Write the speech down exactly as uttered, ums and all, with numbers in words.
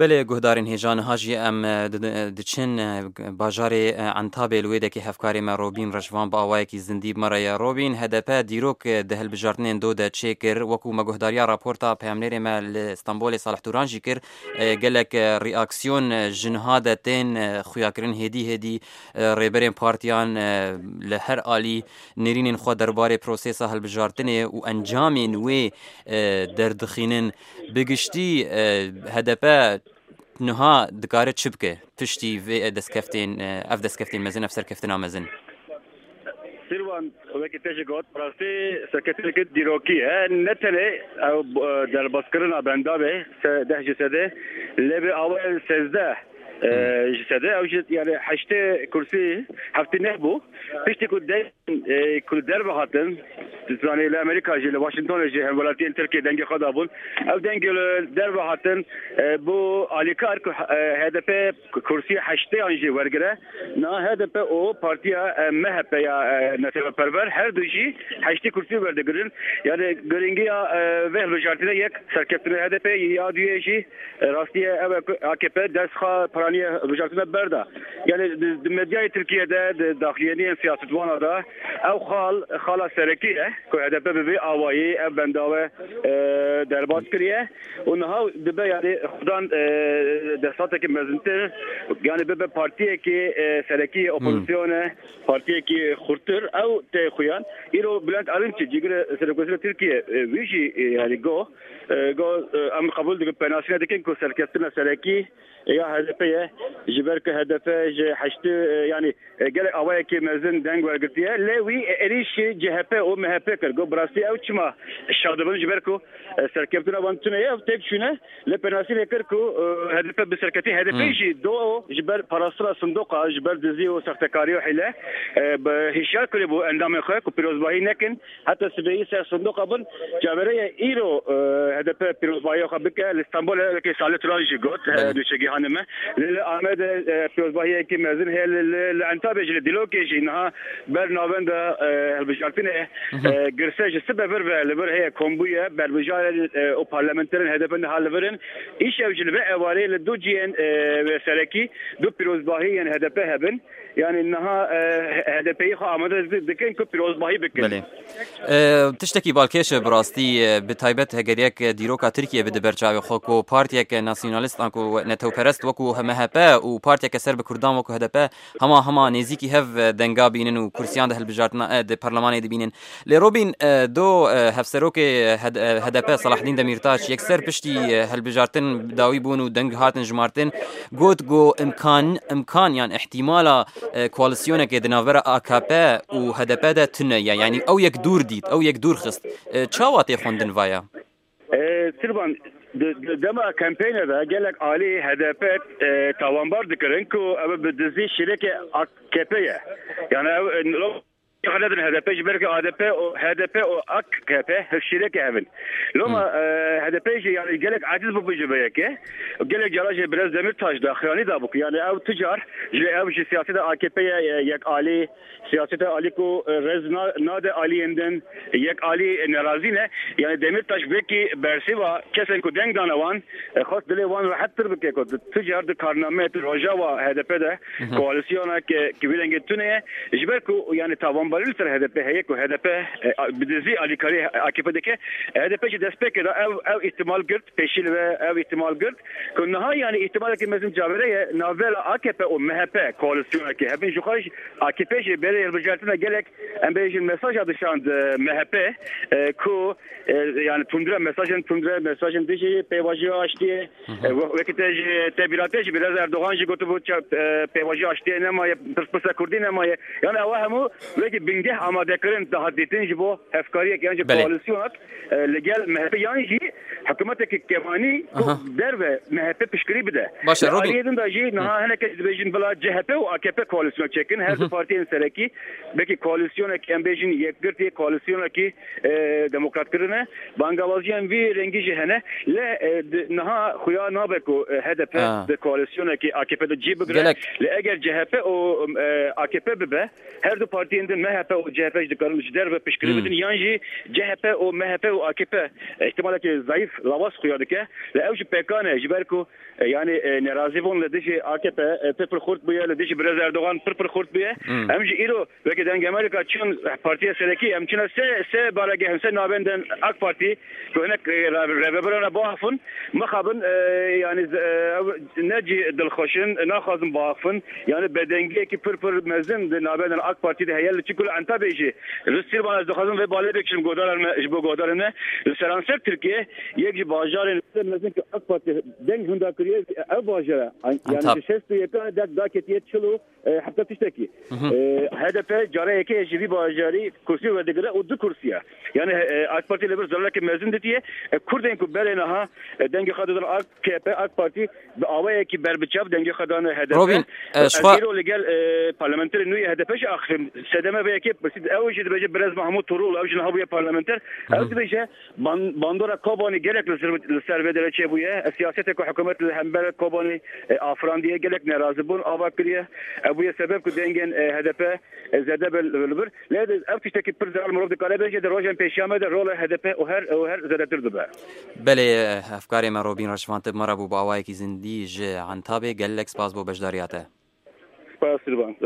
Belê guhdarên hêja, niha jî em, e, di-, di-, diçin, e, bajarê, e, Entabê, li wê dekê hevkarê me Robîn Reşvan bi awayekî zindî bi me re ye. Robîn, H D P dîrok, e, di hilbijartinên do de çêkir. Wekû me guhdariya raporta peyamnêrê me li Stenbolê Salih Turan jî kir, e, gelek, e, reaksiyon, e, ji niha de tên, e, xuyakirin hêdî hêdî, e, rêberên partiyan, e, li her alî nêrînên xwe derbarê prosesa hilbijartinê û encamên wê, e, derdixînin. Bi giştî, e, H D P niha dikare çi bike piştî vê destkeftên, e, ev destkeftên mezin, ev serkeftina mezin? Sirwan, wekî te jî got, rastî serkeftineke dîrokî ye. Ne tenê ew, e, derbazkirina benda be, se-, deh ji sedê, lê bi awayên sêzdeh, e, ji sedê, ew jî, yani, heştê kursî, heftê neh bû. Piştî ku deng, e, ku li derve hatin, zanî li Amerîka jî, li Washingtonê jî hemwelatiyên Tirkiyê dengê xwe dabûn. Ew deng li derve hatin, e, bû alîkar ku, e, H D P kursî heştê an jî wergire. Na H D P û partiya, e, M H P ya, e, neteweperwer her du jî heştê kursî werdigirin. Yani giringiya, e, vê hilbijartinê yek serkeftinê H D P ya duyê jî, e, rastî ye ew e ku A K P dest xwe piraniye hilbijartinê berda. Yani di, di medyayê Tirkiye de, di daxuyaniyên siyasetwana de ew xal, xala serekî ye ku H D P bi vê awayî ev bendawe, e, derbas kiriye. Û niha dibe, yani, xudan, e, desthilateke mezintir, yani, bibe partiyekî, e, serekî, hmm, opozisyone, partiyekî xurtir, ew tê xuyan. Îro Bülent Arınç, cîgirê Serokwezîrê Tirkiye, e, wî jî, e, yani, go, e, go, e, em qebûl dikin, penasîne dikin ku serkeftina serekî ya H D P ye, ji ber ku H D P ji heştê, e, yani, e, gelek awayekî mezin deng wergirtiye, lê wî, e, êrîşî C H P û M H P kir. Got, bi rastî ew çima şa dibin, ji ber ku, e, serkeftina wan tune ye, ew têk çûne, lê penasî lê kir ku, e, H D P bi serketî, H D P, hmm, jî do ji ber parastina sindoqa, ji ber dizî û sextekarî û hîle, e, bi hişyar kirî bû endamên xwe ku pîrozbahî nekin. Heta sibehî ser sindoqa bin, cavereye îro, e, H D P pîrozbahiya xwe bike. Li Stenbolê wekî Salih Turan jî got, e, belê, nûçegihane me. Li, li Amedê, e, pîrozbahiyekî mezin heye, li, li, li Entabê jî, li Dîlokê jî niha ber navenda, e, hilbijartinê, mhm, e, girse ji sibe vir ve li vir heye, kombûye, berbijarên, e, û parlamenterên H D P niha li vir in. Îşev jî li vê ewarê li du cihên, e, wê serekî du pîrozbahî yên H D P hebin. Yani niha, e, H D P'yê xwe amade di-, dikin ku pîrozbahî bikin. Belê. E, tiştekî balkêş e bi rastî, e, bi taybet heger yek dîroka Tirkiye bide ber çavê xwe ku partiyeke nasyonalist an ku netewperest wekû M H P û partiyeke ser bi Kurdan wekû H D P hema hema nêzîkî hev, e, denga bînin û kursiyan di hilbijartina, e, di parlemanê dibînin. Lê Robîn, e, do, e, hevserokê H D-, e, H D P Selahaddîn Demîrtaş yekser piştî, e, hilbijartin bi dawî bûn û deng hatin jimartin, got ku imkan, imkan yan ihtimala, e, koalisyonekê di navbera A K P û H D P de tune ye. Yanî ew yek dûr dît, ew yek dûr xist. E, çawa tê xwendin vaya? E, Sirvan, di, di dema kampeyne de gelek alî H D P, e, tawanbar dikirin ku ew bi dizî şîrekê A K P ye. Yani ew, e, Xwe nedin H D P, ji ber ku A D P û, H D P û A K P hevşîreke hev in. Loma, hmm, e, H D P jî, yani, gelek aciz bû ji vê yekê. Gelek cara jî Birêz Demîrtaş daxuyanî dabû ku, yani, ew tu car ji, ew ji siyaseta A K P ye, e, yek alî, siyaseta alî ku, e, rêz na-, nade aliyên din, yek alî, e, nerazî ne. Yani, Demîrtaş wekî bersiva kesên ku deng dane wan, e, xwest dilê wan rehettir bike ku tu car di karnameyê, tu rojawa H D P de, mhm, koalîsyona ke, ki vî rengê tune ye. Ji ber ku, yani, tawanbarî li ser H D P heye ku H D P, e, a, bi dizî alîkarî A K P dike. H D P jî destpêkê de ev, ev îhtimal girt, pêşî li ve ev îhtimal girt. Ku niha, yani, îhtimaleke mezin cavêre ye, navbera A K P û M H P koalîsyoneke hebin. Ji xwe jî A K P jî berê hilbijartina gelek, em bêjin, mesaja dişand, e, M H P, e, ku, e, yani, tundre, mesajên tundre, mesajên dijî pêvajoya aştiyê, hı hı, e, we-, wekî te jî, te bîra te jî, Birêz Erdogan jî gotibû, ça-, e, pêvajoya aştiyê nemaye, pirsgirêka Kurdî nemaye. Yani, ewa hemû wekî bingeh amadekirin dihat dîtin ji bo hevkariyek, yan jî, belê, koalîsyonek, e, li gel M H P, yan jî hikûmeteke kevnî ku, aha, derve M H P piştgirî bide. Baş e, li Robîn, aliyê din de jî, hı, niha hinek kes dibêjin bila C H P û A K P koalîsyon çêkin, her, hı hı, du partiyên serekî, belkî koalîsyonekî, em bêjin, yekgirtî, koalîsyonekî, e, demokrat kirine. Bangawaziyên vî rengî jî hene. Lê, e, di, niha xuya nabe ku, e, H D P, ha, di koalîsyonekî A K P de cî bigire. Gelek. Lê eger C H P û, e, A K P bibe, her du partiyên din, M H P û C H P jî dikarin ji derve piştgirî Hmm. bidin, yan jî C H P û M H P û A K P ihtimalekî zayîf, lawaz xuya dike. Lê ew jî pêkan e, ji ber ku, e, yanî, e, nerazîbûn li dijî A K P, e, pir pir xurt bûye, li dijî Birêz Erdogan pir pir xurt bûye. Hmm. Em jî îro weke Dengê Amerîka çûn partiya serekî, em çûne sê, sê baregeh, sê navendên AK Partî, ku hinek, e, re-, rêveberane biaxifin, mixabin, e, yanî, e, ew ne cî dilxweş in, naxwazin biaxifin. Yanî bedengiyekî pir pir mezin di navendên AK Partî de heye, li çi ku li Entabê jî. Li Sîrvan ez dixwazim vê balê bikişim, guhdarên me, ji bo guhdarên me. Li seranser Tirkiye yek ji bajarên pir mezin ku AK Partî deng hunda kiriye, ev bajar e. Yanî Entab. Ji şêst û yek deng daketiye çil û e, heta tiştekî. Hı hı. E, H D P cara yekê ji vî bajarî kursî werdigire û du kursî ye. Yanî, e, AK Partî li vir zarareke mezin ditiye. E, Kurdên ku berê niha, e, dengê xwe didin A K P, AK Partî bi awayekî berbiçav dengê xwe dane H D P. Robîn, e, Ez ji xwe îro li gel, e, parlamenterê nû yê H D P jî axifim. Sedeme vê yekê pirsî, ew jî dibêje Birêz Mahmûd Turul, ew jî niha bûye parlamenter. Hı hı. Ew dibêje, Ban-, bandora Kobanî gelek li ser, li ser vê derê çêbûye. Siyasetê ku hikûmet li hember Kobanî, e, afirandiye, gelek nerazîbûn ava kiriye. Ev bûye sebeb ku dengên, e, H D P, e, zêde be li, li vir. Lê de ev tiştekî pir zelal mirov dikare bêje, di rojên pêşiya me de rola H D P û her, û her zêdetir dibe. Belê, e, hevkarê me Robîn Reşvan tê bi me re bû, bi awayekî zindî ji Entabê. Gelek spas bo beşdariya te. Spas, Sirvan.